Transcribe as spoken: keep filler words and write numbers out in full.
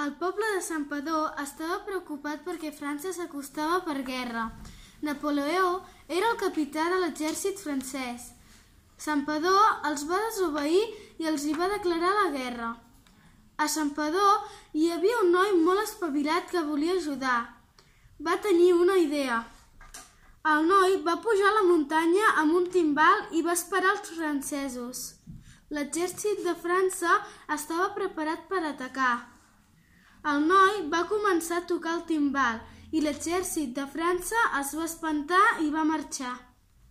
El poble de Santpedor estava preocupat perquè França s'acostava per guerra. Napoleó era el capità de l'exèrcit francès. Santpedor els va desobeir i els hi va declarar la guerra. A Santpedor hi havia un noi molt espavilat que volia ajudar. Va tenir una idea. El noi va pujar a la muntanya amb un timbal i va esperar els francesos. L'exèrcit de França estava preparat per atacar. El noi va començar a tocar el timbal i l'exèrcit de França es va espantar i va marxar.